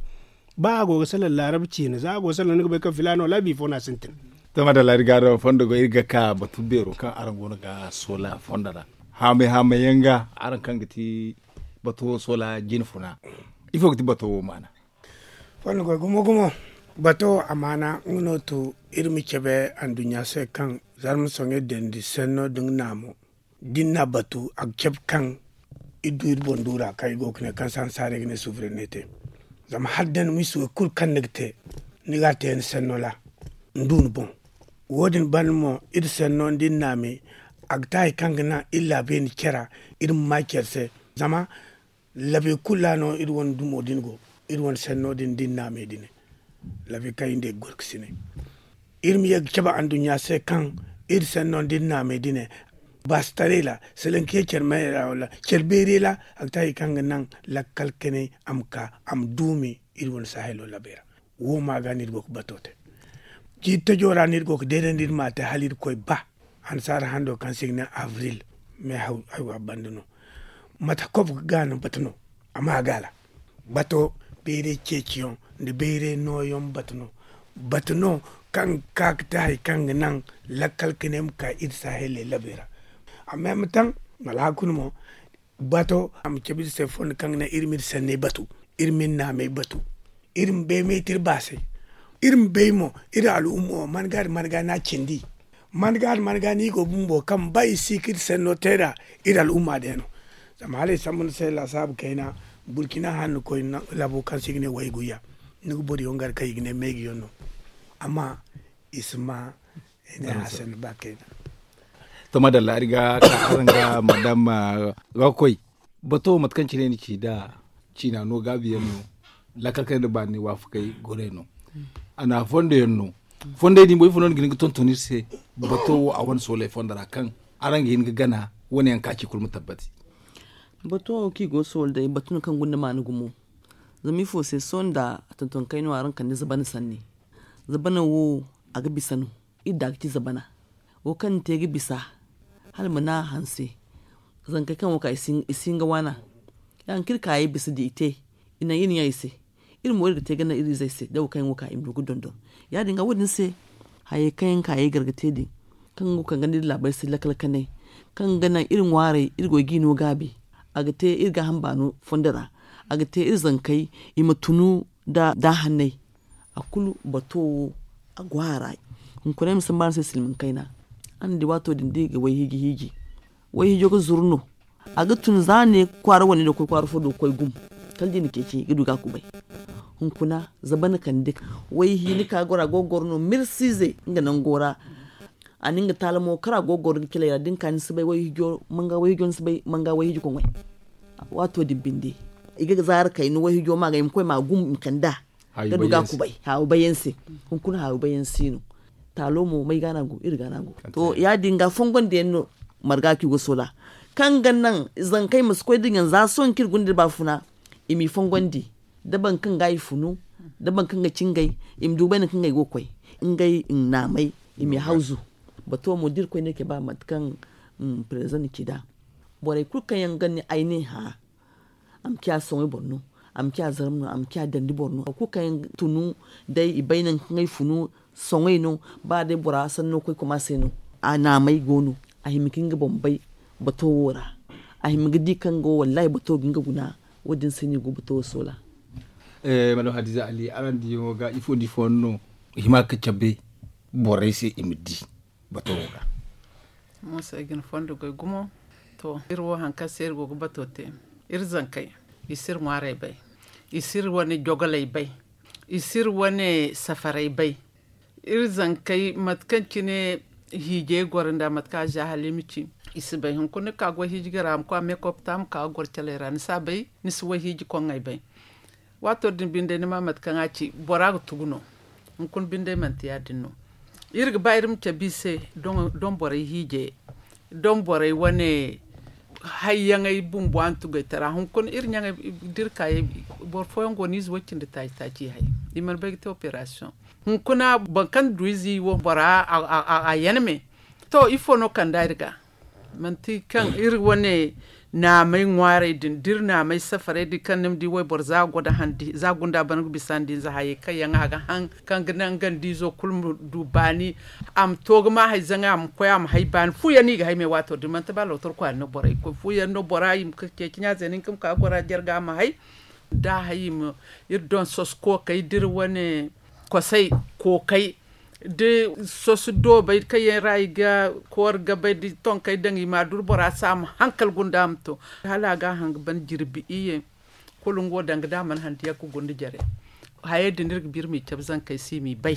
Ba a go ga salaŋ laarab ciina za a go ga salaŋ ni ga bay kaŋ filaana wala bifo no a sintin. Tama da laari gaaro fondo go iri ga ka batu beero kaŋ araŋ go no ga soola fondo ra. Haamay haamay yaŋ ga araŋ kaŋ ga ti bato soola jine funa. Ifo ga ti bato wo maana? Fondo go gumo gumo. Bato amaana nga no to iri ma cabe anduɲɲa se kaŋ zarma soŋay dendi senno da nga naamo da ni n'a batu a ga cabe kaŋ iri du iri boŋ duura kaŋ i go ga ne kaŋ se hansaarey ga ne suufurenete. Zama hala da ni ma i si wo kulu kaŋ ni ga te ni ga a te ni senno ra ni du ni boŋ. Wo- din banda mo iri senno da ni naame a ga te hari kaŋ ga naŋ iri laabey na care iri ma ma care se. Zama labe kulu ra no iri wane dumo din go iri wane senno din da ni naamey din. Labe kaŋ iri nda i ga gorkasinay iri ma ye ga cabe anduɲɲa se kaŋ iri senno da ni naamey din. Baasitaray ra salaŋ ka ye care mayey ra wala care beerey ra a ga te hari kaŋ ga naŋ lakkal kanay a ma ka a ma duumi iri wane sahilo labey ra. Wo ma ga no iri go ga bato te. Jiiri tajo ra no iri go ga deedandi iri ma a te hala iri koy ba hansaara hando kaŋ se i ga ne avril. Me haw haywa banda no. Mate kob ga no batu no a ma ga ra. Bato bayray ceeciyaŋ nda bayray nooyaŋ batu no. Batu no kaŋ ga ka ga te hari kaŋ ga naŋ lakkal kanay ma ka iri sahiley labey ra. Amma ay ma taŋ wala hari kulu mo bato a ma cabe iri se fondo kaŋ ga naŋ iri ma iri sanney batu, iri ma iri naamey batu, iri ma bay me te iri baasey. Iri ma bay mo iri al'umma wo man ga da man ga no a cindi. Man ga da man ga no i go bumbo kaŋ ba i si ga iri sanno te nd'a iri al'umma day no. Zama hala ay sambu ni se laasaabu kayna burkina hanno koy labo kaŋ se i ga ne wayguyya. Ni ga boro yaŋ gar kaŋ i ga ne meegiyaŋ no. Amma i si ma i ne hasan ba kayna. To madalla ari ga ka araŋ ga madam ga koy. Bato mate kaŋ cine ni ci da ciina no gaabi yaŋ no. Lakkal kaŋ yaŋ da baani waafakey goray no. A na fondo yaŋ no. Fondey din boy fo no ni ga hin ga tonton iri se. Bato wo a wane sooley fondo ra kaŋ araŋ ga hin ga gana wane yaŋ ka ci kulu ma tabbati. Bato wo kaŋ i go ga sooley day batu no kaŋ gunda maana gumo. Zama ifo se sohõ nda a tonton kayno araŋ kande zabana sanni. Zabana wo a ga bisa no. Iri da ga ci zabana wo kaŋ ni te ga bisa hala ma naŋ a hanse. Zankey kaŋ wo ka i si hin ga waana. Ya- din kaŋ iri kaayey bisa da i te i naŋ iri ɲa i se. Iri mo iri ga te ga naŋ iri izey se da wo kaŋ yaŋ go ka i ma du ga dondon. Ya- din ga wo- din se hayey kaŋ yaŋ kaayey gar ga te din kaŋ go ga ganda iri laabey se lakkal kanay kaŋ ga naŋ iri ŋwaarey iri go ga i no gaabi. A ga te iri gaaham baano fondo ra. A ga te iri zankey i ma tunu nda hanney. A kulu bato wo a go a ra. Hunkuna ay ma samba araŋ se silmaŋ kayna. Araŋ di waato din da i ga wayhiiji hiiji. Wayhiijo ga zuru no. A ga tun za ne kwaara wane do ga koy kwaara fo do ga koy gum. Kala da i na ceeci ga du ga a kubay. Hunkuna zabana kande wayhiini ka goro a go ga goro no mirsiize nga nango ra. a na nga taala mo kara go ga goro nga caley ra da ni ka ni si bay wayhijo manga wayhijo ni si bay manga wayhiji koŋey. Waato din binde i ga zaara kayna wayhijo ma ga i ma koy ma a gum i ma kande a ga du ga a kubay haawi bay yaŋ se. Hunkuna haawi bay yaŋ si no. Taalo mo may ga no a go iri ga no a go. To ya- din ga fongondiyaŋ no marga kaŋ i go ga soola kaŋ ga naŋ zankey ma si koy da ɲaŋ za sohõ kaŋ iri guna da iri baafuna i m'i fongondi da boro kaŋ ga i funu da boro kaŋ ga cingay i ma du bay nangu kaŋ ngey go ga koy ngey naamey i m'i hawzu. Bato mo da irkoy ne kay ba mate kaŋ prezidaŋ na ci nd'a borey kulu kaŋ yaŋ ga ne ay ne hã a ma ciya soŋay boro no a ma ciya zarma no a ma ciya dandi boro no boro kulu kaŋ yaŋ tunu day i bay nangu kaŋ ay funu soŋay no. Ba day bora sanno koy koma se no a naamay go no a hima ka nga boŋ bay bato wo ra a hima ga di kaŋ go wallahi bato ga nga guna. Wo- din se no i go bato wo soola. Madam hadiza ali araŋ diyaŋo ga ifo da ifo no i hima ga cabe borey se i ma di bato wo ga. Mooso ay ga ni fondo goy gumo. To iri wo hari kaŋ se iri go ga bato te iri zankey i si iri ŋwaarey bay i si iri wane jogoley bay i si iri wane safarey bay. Iri zankey mate kaŋ cine hiijey goro nda mate kaŋ a za hala i ma ci i si bay hunkuna ni ka goy hiiji ga ra a ma koy a ma meekopta a ma ka ga goro caley ra ni si a bay ni si wayhiiji koŋŋey bay. Waato din binde ni ma mate kaŋ a ci bora ga tugu no. Hunkuna binde manti ya- din no. Iri ga ba iri ma cabe i se don borey hiije don borey wane hayyaŋey bumbo a na tugay tara hunkuna iri ɲaŋey da iri kaayey boro fooyaŋ go no ize way cindi taaci taaci i hay. I mana bay ga te operasiyoŋ hunkuna boro kaŋ du ize wo bora a yan me. To ifo no kanda iri ga manti kaŋ iri wane naamay ŋwaarey din da iri naamay safarey din kaŋ ni ma di wayboro za gunda bana ga bisa nda hinza hayey kaŋ yaŋ a ga haŋ kaŋ ga naŋ ganda izo kulu ma du baani. A ma to ga ma hay zaŋay a ma koy a ma hay baani fu yaŋ no i ga hay me waato din manti ba lootor kwaara no borey ga koy fu yaŋ no bora i ma ka ceeci ɲaaze no hinka ma ka ga gora jarga a ma hay. Da a hay i ma iri doŋ soso kookey da iri wane kosay kookey da soso doobey kaŋ yaŋ ra i ga koori gabay da tonkey daŋ i ma a duru bora se a ma hankal gunda a ma to. Hala a ga a haŋ ga ban jirbi iyye kulu nga wo danga da a mana handu yaŋ ga gunda jare. Hayey din iri ga ba iri m'i cabe zankey se i m'i bay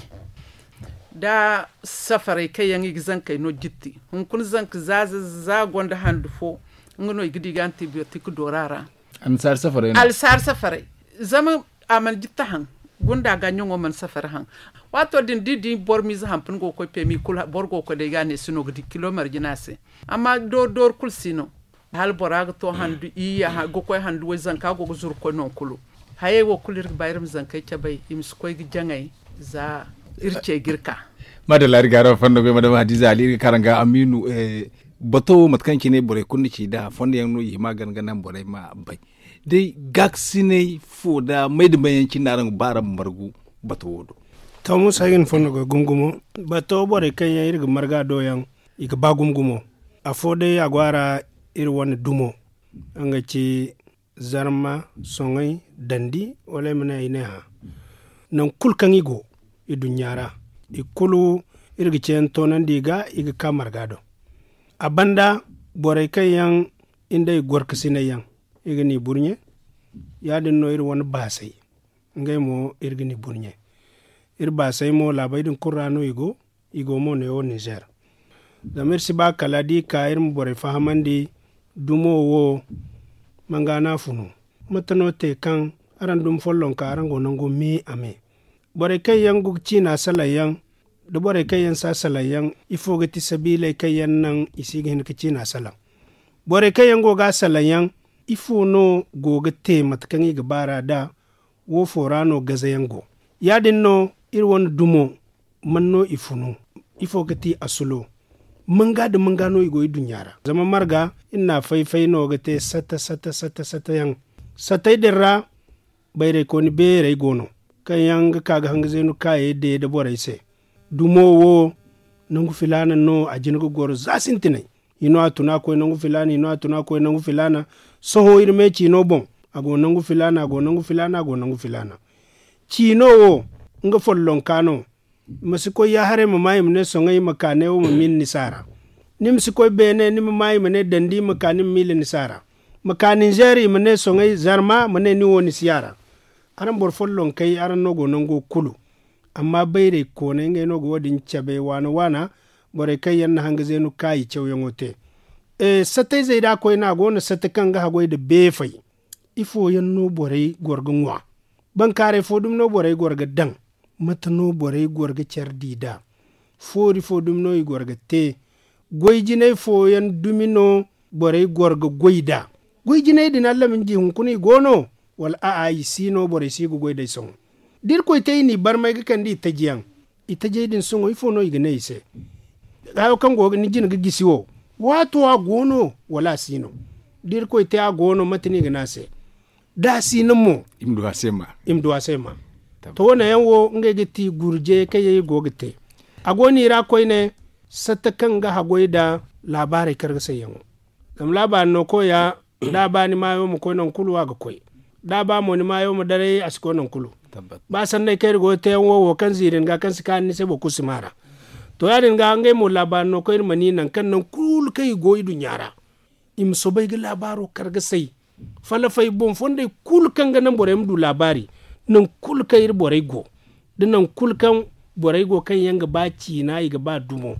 da safarey kaŋ yaŋ i ga zankey no jitti hunkuna zanka za za gonda handu fo. Nga no i ga di ga antibiyotik doora ra. Alsaari safarey zama a mana jitta haŋ gunda ga ɲaŋo mana safari haŋ. Waato din da i di boro miize hampuna go ga koy peemi kulu boro go ga koy day ga a ne si no ga di kilo marjina se. Amma doori doori kulu si no. Hala bora ga to handu iyya ga koy handu way zanka go ga zuru koy no kulu. Hayey wo kulu iri ga ba iri ma zankey cabay i ma si koy ga jaŋay za iri ce ga iri ka. Maadalla iri ga araŋ fondo goy madama hadiza ali iri ga ka araŋ ga amiinu. Bato wo mate kaŋ cine borey kulu na ci nd'a fondo yaŋ no i hima gana ga naŋ borey ma bay. Day gaakasinay fo nda may nda may yaŋ cine no araŋ ga ba araŋ ma margu bato wo do? To muusa ay ga ni fondo goy gumo gumo. Bato borey kaŋ yaŋ iri ga marga do yaŋ i ga ba gumo gumo. Afo day a go a ra iri wane dumo nga ga ci zarma soŋay dandi wala ay ma ne ay ne hã. Nangu kulu kaŋ i go i duɲɲa ra i kulu iri ga ceeyaŋ toonandi i ga i ga ka marga do. A banda borey kaŋ yaŋ i nda i gorkasinay yaŋ i ga ni burɲe. Ya- din no iri wane baasay ngey mo iri ga ni burɲe. Iri baasay mo laabey din kulu ra no i go. I go mo neewo ninzeer. Zama iri si ba kala da i ka iri ma borey fahamandi dumo wo manga no a funu? Mate no te kaŋ araŋ dumi follonka araŋ go nangu me a me? Borey kaŋ yaŋ go ga ciina salaŋ yaŋ da borey kaŋ yaŋ si a salaŋ yaŋ ifo ga ti sabiiley kaŋ yaŋ naŋ i si ga hin ga ciina salaŋ? Borey kaŋ yaŋ go ga a salaŋ yaŋ ifo no go ga te mate kaŋ i ga ba ra da? Wo fo ra no gaze yaŋ go. Ya- din no iri wane dumo man no i funu? Ifo ga ti asulo? Manga nda manga no i go i duɲɲa ra zama marga iri na a fay-fay no ga te sata sata sata yaŋ. Satey din ra bayraykooni beerey go no kaŋ yaŋ ga ka ga hangazeenu kaayey de nda borey se. Dumo wo nangu filaana no a jin ga goro za sintinay. I no a tun a koy nangu filaana i no a tun a koy nangu filaana. Sohõ iri me ciino boŋ a go nangu filaana a go nangu filaana a go nangu filaana. Ciino wo nga follonka no. Ma si koy yaaharay ma ma i ma ne soŋay ma ka neewo ma miila ni se a ra. Ni ma si koy beene ni ma ma i ma ne dandi ma ka ni ma miila ni se a ra. Ma ka ninzeer i ma ne soŋay zarma ma ne ni wo ni si a ra. Araŋ boro follonkey araŋ no go nango kulu. Amma bayray koonay ngey no ga wo- din cabe waana waana. Borey kaŋ yaŋ na hanga zeenu kaayi cawyaŋo te. Satayzey da a koyne a go no sata kaŋ ga haggoy nda beefey. Ifo yaŋ no borey goro ga ŋwa? Bankaaray fo dumi no borey goro ga daŋ? Mate no borey goro ga care di nd'a? Foori fo dumi no i goro ga te? Goy jinay fooyaŋ dumi no borey goro ga goy nd'a? Goy jinay din allamiiji hunkuna i go no? Wala a'a i si no borey si ga goy nd'ey sohõ? Da irkoy te i n'i barmay ga kande i taji yaŋ, i tajey din sohõ ifo no i ga ne i se? Haayo kaŋ go ni jina ga gisi wo, waato a go no? Wala a si no? Da irkoy te a go no mate no i ga ne a se? Da a si no mo, i ma du a se ma. To wane yaŋ wo ngey ga ti gurjey kaŋ yaŋ i go ga te. A go no i ra koyne, satta kaŋ ga haggoy nda laabaarey kargasayyaŋo. Zama laabaari no koya, da a ba ni maayo ma koy nangu kulu a ga koy. Da a ba mo ni maayo ma daray a si koy nangu kulu. Ba sanney kaŋ iri go ga te yaŋ wo wo kaŋ ziiri ni ga kaŋ si kaanu ni se boro kulu si maa ra. To ya- din ga ngey mo laabaari no koy iri ma ni nangu kaŋ nangu kulu kaŋ i go iduɲɲa ra, i ma soobay ga laabaaro kar ga say. Falafay boŋ fondey kulu kaŋ ga naŋ borey ma du laabaari, nangu kulu kaŋ iri borey go, da nangu kulu kaŋ borey go kaŋ yaŋ ga ba ciina i ga ba dumo,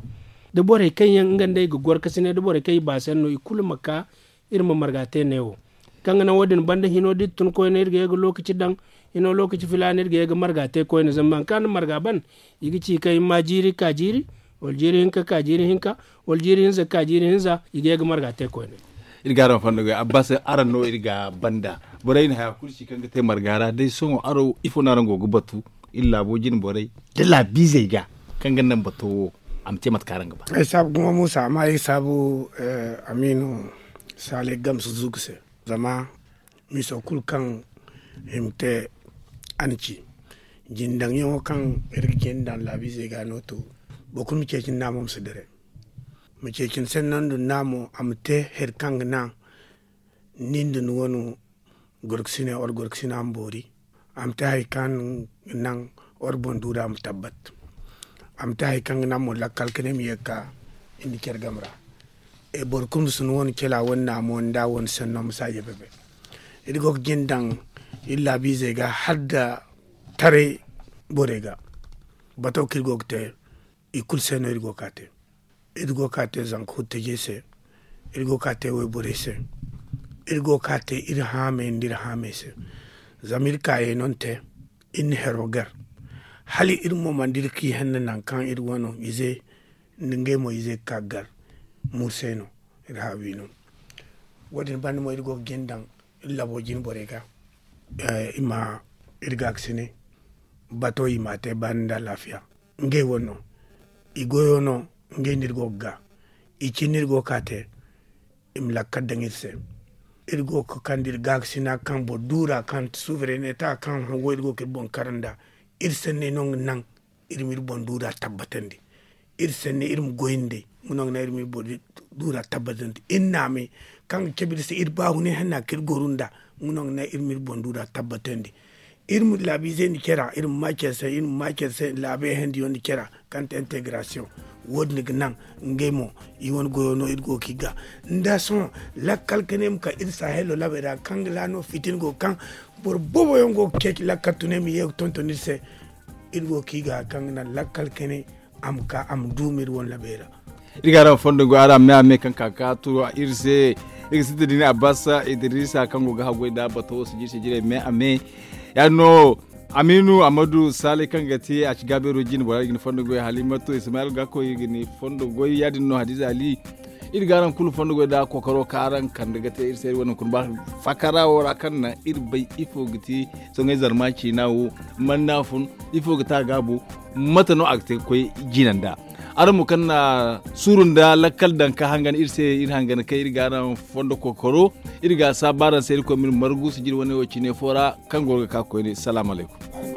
da borey kaŋ yaŋ nga nd'ey ga goro ka si ne da borey kaŋ i ba se no i kulu ma ka. Iri ma marga te neewo kaŋ ga naŋ wo- din banda hino da iri tun koyne iri ga ye ga lookaci daŋ. Hino lookaci filaana iri ga ye ga marga te koyne zama hari kaŋ a na marga ban, i ga ci kaŋ i ma jiiri ka jiiri, wala jiiri hinka ka jiiri hinka, wala jiiri hinza ka jiiri hinza, i ga ye ga marga te koyne. Iri ga araŋ fondo ga abbas araŋ no iri ga banda. Borey na haya kulu si kaŋ ga te marga ra day sohõ araŋ ifo no araŋ go ga batu? Iri laabo jine borey da laabiizey ga kaŋ ga naŋ bato wo a ma te mate kaŋ araŋ ga ba. Ay saabu gumo muusa amma ay saabu amiinu saalay gamsu zugu se. Zama miiso kulu kaŋ i ma te a na ci jindaŋyaŋo kaŋ iri ga jindaŋ laabiizey ga no to. Boro kulu ma ceeci ni naamo ma si dare. Ma ceeci ni se ni naŋ du ni naamo a ma te hari kaŋ ga naŋ ni nda ni wane gorkasine wala gorkasina ma boori. A ma te hari kaŋ ga naŋ wala boŋ duura ma tabbat. A ma te hari kaŋ ga naŋ mo lakkal kanay ma ye ga ka iri nda care game ra. Boro kulu ma si ni wane cala wane naamo nda wane sanno ma saaja bebe. Iri go ga jin daŋ iri laabiizey ga hala nda taray borey ga. Bato kaŋ iri go ga te i kulu se no iri go ga ka te. Iri go ga ka te zanka huttajey se. Iri go ga ka te wayborey se. Iri go ga ka te iri haamey nda iri haamey se. Zama iri kaayey no ni te. Iri na hero gar hala iri mo mana dira ka i henne nangu kaŋ iri wano ize nda ngey mo ize ga ka ga gar. Mursey no iri haawi no. Wo- din banda mo iri go ga jin daŋ iri labo jine borey ga i ma iri gaakasine bato i ma a te baani nda alaafiya. Ngey wo no i goyo no. Ngey no iri go ga ga i cine no iri go ga ka te. I ma lakkal daŋ iri se. Iri go ga kande iri gaakasina kaŋ boro duura kaŋ suufereneta kaŋ hango iri go ga iri boŋ kar nda iri sanney no nga naŋ iri ma iri boŋ duura tabbatandi. Iri sanni iri ma goy nd'ey nga no ga naŋ iri ma iri boŋ duura tabbatandi iri naamay kaŋ ga cabe iri se iri baahunay hanna kaŋ iri goru nd'a. Nga no ga naŋ iri ma iri boŋ duura tabbatandi. Iri ma laabiizey nda care ra iri ma ma care se iri ma ma care se laabey handiyo nda care ra kaŋ te integrasiyoŋ. Wo- din ga naŋ ngey mo i wane goyo no iri go ga i ga nda sohõ lakkal kanay ma ka iri sahelo laabey ra kaŋ ga ra no fitina go ga kaŋ boro boobo yaŋ go ga ceeci lakkal tunay ma ye ga tonton iri se. Iri go ga i ga kaŋ ga naŋ lakkal kanay a ma ka a ma duumi iri wane labey ra. Iri ga araŋ fondo go araŋ me a me kaŋ ka ka turu iri se. Iri ga sintin da ni abbas idrisa kaŋ go ga haggoy nda bato wo sijiri sijirey me a me. Ya- din no amiinu amadu saalay kaŋ ga te a ci gaabeero jine bora iri ga ni fondo goy halimatu ismayil gakko iri ga ni fondo goy ya- din no hadiza ali. Iri ga araŋ kulu fondo goy nda kookaro kaŋ araŋ kande ga te iri se iri wane hunkuna ba fakara wo ra kaŋ naŋ iri bay ifo ga ti soŋay zarma ciina wo. Man no a fun ifo ga te a gaabo? Mate no a ga te ga koy jina nd'a? Araŋ mo kaŋ na suuru nda lakkal daŋ ka hangan iri se iri hangan kaŋ iri ga araŋ fondo kookaro. Iri ga a saabu araŋ se irkoy ma iri margu sijiri wane wo cine fo ra kaŋ go ga ka koyne salaamu alaykum.